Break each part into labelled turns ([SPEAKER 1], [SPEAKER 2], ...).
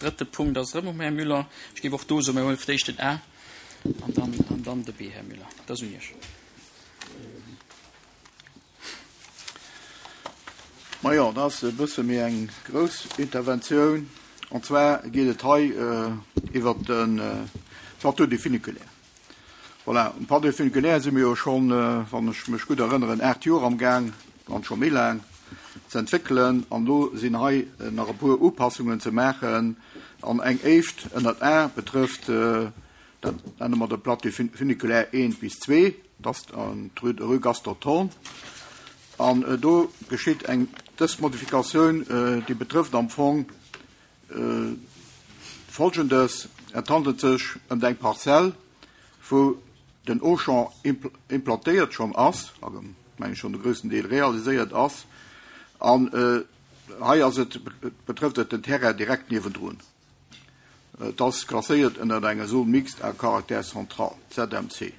[SPEAKER 1] Drëtte Punkt ass erëm um Här Müller. Ech géif och do soen, mir huele fir d'éischt den A an dann, an dann de B, Här Müller. Dat ass un Iech.
[SPEAKER 2] Majo, dat ass e bësse méi eng grouss Interventioun. An zwar geet et hei iwwert de Plateau du Funiculaire. Voilà, um Plateau du Funiculaire si mir jo schonn, wann ech mech gutt erënneren, 8 Joer amgaang, wann scho méi laang, ze entwéckelen. An elo sinn hei nach e puer Upassungen ze maachen. An eng éischt ënnert A betrëfft, dat nenne mer de Plateau funiculaire 1 bis 2, dat ass an d'Rue Gaston Thorn. An do geschitt eng, dës Modifikatioun, déi betrëfft am Fong Folgendes, Et handelt sech ëm eng Parzell, wou den Auchan implantéiert schonn ass, also meng ech schonn de groussen Deel realiséiert ass, an hei ass et, betrëfft et den Terrain direkt niewendrun. Et ass klasséiert ënner enger Zone mixte à caractère central, ZMC.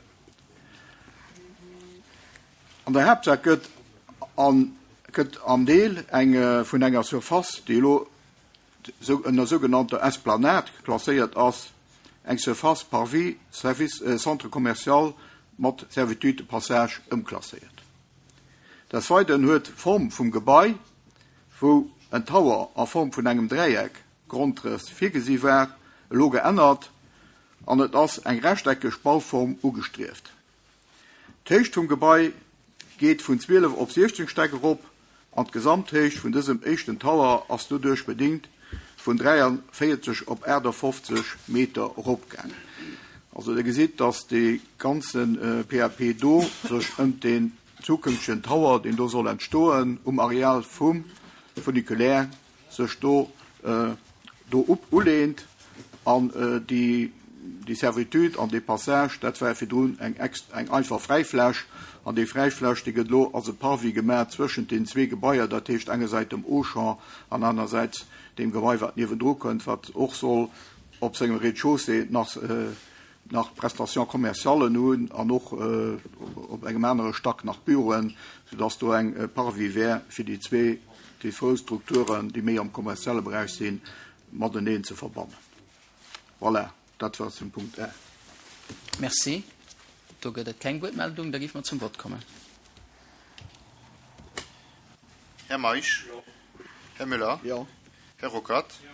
[SPEAKER 2] An der Haaptsaach gëtt an gëtt am Deel eng vun enger Surface, déi elo ënner sougenannter Esplanade klasséiert ass, eng Surface Parvis service centre commercial mat Servitude de passage ëmklasséiert. Des Weideren huet d'Form vum Gebai, wou en Tower a Form vun engem Dräieck Grondrëss virgesi war, elo geännert an et ass eng rechteckeg Bauform ugestrieft. D'Héicht vum Gebai geet vun 12 op 16 Stäck erop an d'Gesamthéicht vun dësem éischten Tower ass doduerch bedéngt vun 43 op 58 Meter eropgaangen. Also der gesitt, dass dee ganze PAP do sech ëmt deen zukünftegen Tower, deen do soll entstoen um Areal vum Funiculaire, sech do do uleent an déi déi Servitude an dee Passage, dat war virdrun eng eng einfach Fräifläch an déi Fräifläch, déi gëtt elo als e Parvis gemaach zwëschent den zwee Gebaier, dat heescht engersäits dem Auchan an anersäits deem Gebai, wat niewendru kënnt, wat och soll op sengem Rez-de-chaussée nach nach Prestations commerciallen hunn an och op engem anere Stack nach Büroen, soudass do eng Parvis wär fir déi zwee, déi zwou Strukturen, déi méi am kommerzielle Beräich sinn, mateneen ze verbannen. Voilà, dat war zum Punkt A.
[SPEAKER 1] Merci. Do gëtt et keng Wuertmeldung. Da géife mer zum Vott kommen.
[SPEAKER 3] Här Meisch?
[SPEAKER 2] Jo.
[SPEAKER 3] Här Müller?
[SPEAKER 2] Jo.
[SPEAKER 3] Här Ruckert?
[SPEAKER 2] Jo.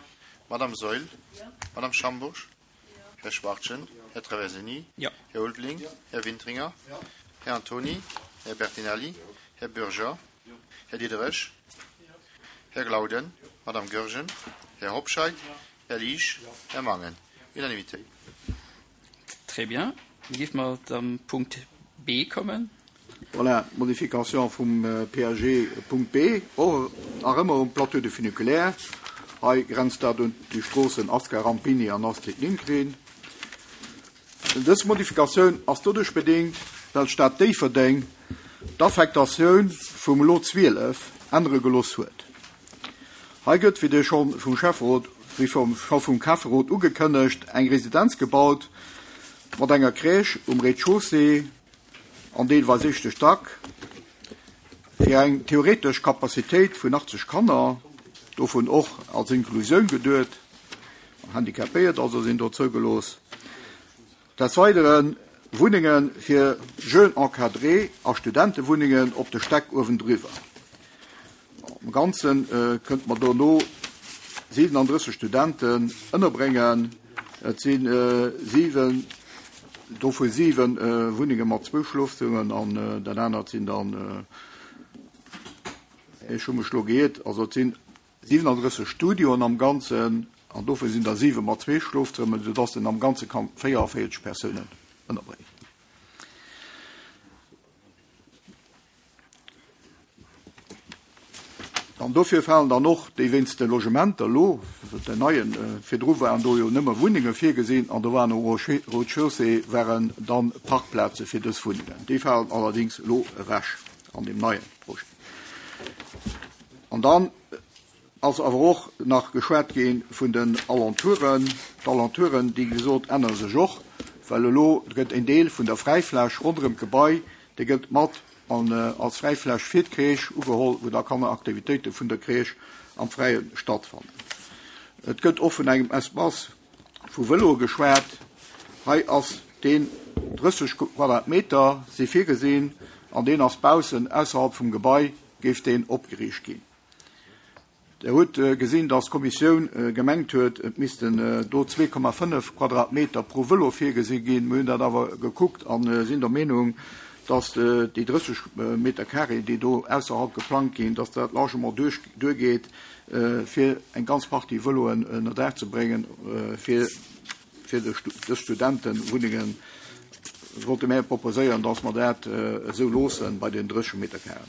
[SPEAKER 3] Madame Saeul?
[SPEAKER 4] Jo.
[SPEAKER 3] Madame Schambourg? Här Schwachtgen, Här Traversini, Här Ulveling, Här Wintringer, Här Antony, Här Bertinelli, Här Bürger, Här Diderich, Här Glauden, Madame Goergen, Här Hobscheit, Här Liesch, Här Mangen. Unanimité.
[SPEAKER 1] Très bien. Da géife mer zum Punkt B kommen.
[SPEAKER 2] Voilà, d'Modification vum PAG Punkt B, och nach ëmmer um Plateau de Funiculaire. Hei grenzt dat un déi Stroossen Asca Rampini an Astrid Lindgren. Dës Modifikatioun ass doduerch bedéngt, well d'Stad Déifferdeng d'Affektatioun vum Lot 12 ännere gelooss huet. Hei gëtt, wéi Dir scho vum Schäfferot, wéi scho vum Schäfferot ugekënnegt, eng Residenz gebaut mat enger Crèche um Rez-de-chaussée, an deelweis éischte Stack, fir eng theoretesch Capacitéit vun 80 Kanner, dovun och als Inklusioun geduet, Handicapéiert also sinn do zougelooss. Des Weidere Wunnenge fir Jeunes encadrés a Studentewunnengen op de Stäck uewendriwwer. Am Ganze kënnte mer dono 37 Studenten ënnerbréngen. Et si 7, dovu 7 Wunnenge mat zwou Schlofzëmmern an dat anert sinn dann, ech hu mech elo geiert, also et sinn 37 Studioen am Ganzen an dovu sinn der 7 mat zwee Schlofzëmmern, soudass en am Ganze kann 44 Persounen ënnerbréngen. An dofir falen dann och déi wéinst de Logementer elo, den neien, virdru waren do jo nëmme Wunnenge virgesinn an do waren um Rez-de-chaussée waren dann Parkplaze fir dës Wunnengen. Déi falen allerdéngs elo ewech an deem neie Projet. An dann ass awer och nach geschwat gi vun den Alentouren. D'Alentouren, déi gesot, ännere sech och, well elo gëtt en Deel vun der Fräifläch ronderëm d'Gebai, dee gëtt mat an als Fräifläch fir d'Crèche ugeholl, wou da Kanneraktivitéite vun der Crèche am Fräie stattfannen. Et gëtt och vun engem Espace vu Vëloe geschwat. Hei ass deen 30 Quadratmeter si virgesinn an deen ass baussen, ausserhalb vum Gebai géif deen opgeriicht ginn. Der hutt gesinn, dass d'Kommissioun gemengt huet, et missten do 2,5 Quadratmeter pro Vëlo virgesi ginn. Mir hunn dat awer gekuckt a sinn der Meenung, dass déi 30 Meter carré, déi do ausserhalb geplangt ginn, dass dat largement duergeet, fir eng ganz Partie Vëloen ënnerdaach ze bréngen, fir dës Studentenwunnengen. Wollte mär proposéieren, dass mer dat esou loosse bei den 30 Meter carré.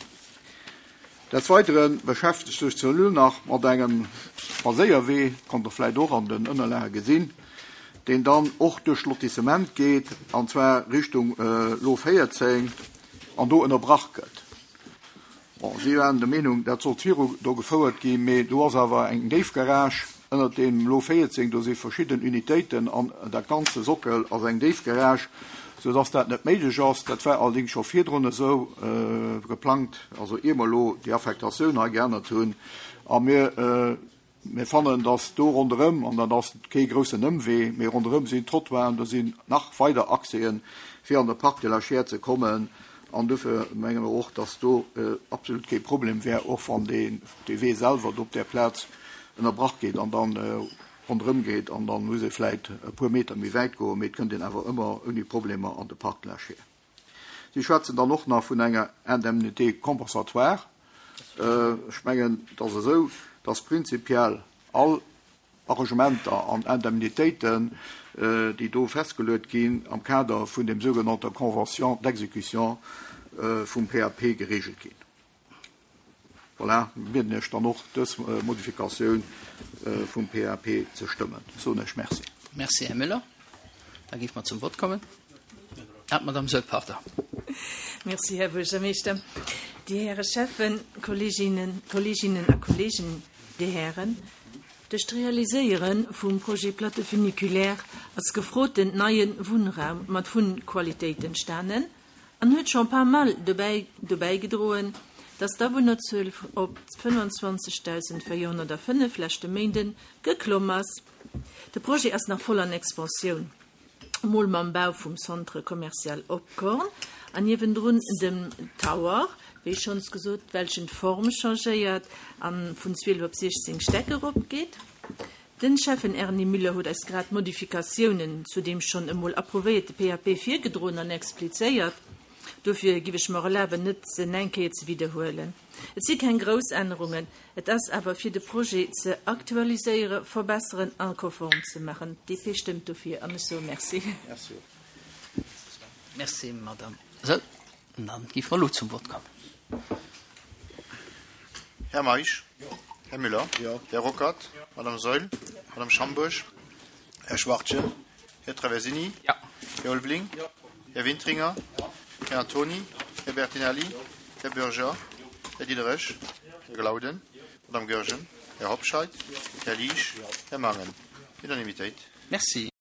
[SPEAKER 2] Des Weidere beschäftegt sech d'Cellule nach mat engem Spadséierwee, konnt Der vläicht och an den Ënnerlage gesinn, deen dann och duerch d'Lotissement geet, an zwar Richtung Lo 14, an do ënnerbrach gëtt. Bon, si waren der Meenung, dat sollt viru do gefouert ginn, mee do ass awer eng Déifgarage ënnert deem Lo 14, do si verschidden Unitéiten an dat ganze Sockel ass eng Déifgarage, soudass dat net méiglech ass. Dat war allerdéngs scho virdrun esou geplangt, also ier mer elo déi Affektatioun hei geännert hunn. A mir, mir fannen, dass do ronderëm, an dat ass kee groussen Ëmwee, mee ronderëm sinn Trottoiren, do sinn nach weider Accèsen, fir an de Parc de la Chiers ze kommen. An dofir menge mer och, dass do absolut kee Problem wär, och wann dee Wee selwer do op där Plaz ënnerbrach gétt an dann ronderëm geet an dann muss ee vläit e puer Meter méi wäit goen, mee et kënnt een awer ëmmer ouni Problemer an de Parc de la Chiers. Si schwätzen dann och nach vun enger Indemnité compensatoire. Ech mengen, et ass esou, dass prinzipiell all Arrangementer an Indemnitéiten, déi do festgeluet ginn, am Kader vun dem sougenannter Convention d'exécution vum PAP geregelt ginn. Voilà, bieden Iech dann och, dës Modifikatioun vum PAP ze stëmmen. Soen ech Merci.
[SPEAKER 1] Merci, Här Müller. Da géife mer zum Vott kommen. Ah, d'Madame Soll, pardon.
[SPEAKER 4] Merci, Här Buergermeeschter. Dir Häre Schäffen, Kolleeginnen, Kolleeginnen a Kolleegen, Dir Hären, duerch d'Realiséiere vum Projet Plateau funiculaire ass gefroten neie Wunnraum mat Wunnqualitéit entstanen, An huet schon pas mal dobäi dobäigedroen, dass d'Awunnerzuel op 25.405 leschte Méinden geklomm ass. De Projet ass nach voll an Expansioun, mol mam Bau vum Centre commercial Opkorn an niewendrun dem Tower, wéi schonns gesot, welchen d'Form changéiert an vun 12 op 16 Stäck eropgeet. Den Schäffen Erny Müller huet eis grad d'Modifikatiounen zu deem schonn emol approuvéierte PAP virgedroen an explizéiert. Dofir giff ech mer erlaben, net se eng Kéier ze widderhuelen. Et si keng grouss Ännerungen, et ass awer fir de Projet ze aktualiséiere, verbesseren a konform ze maachen. D'DP stëmmt dofir an ech soe Merci.
[SPEAKER 1] Merci, Madame. Sou, dann gi mer elo zum Vott kommen.
[SPEAKER 3] Här Meisch? Här Müller? Här Ruckert? Madame Saeul? Madame Schambourg? Här Schwachtgen? Här Traversini? Här Ulveling? Här Wintringer? Här Antoni? Här Bertinelli? Här Bürger? Här Diderich? Här Glauden? Madame Goergen? Här Hobscheit? Här Liesch? Här Mangen? Unanimitéit.
[SPEAKER 1] Merci.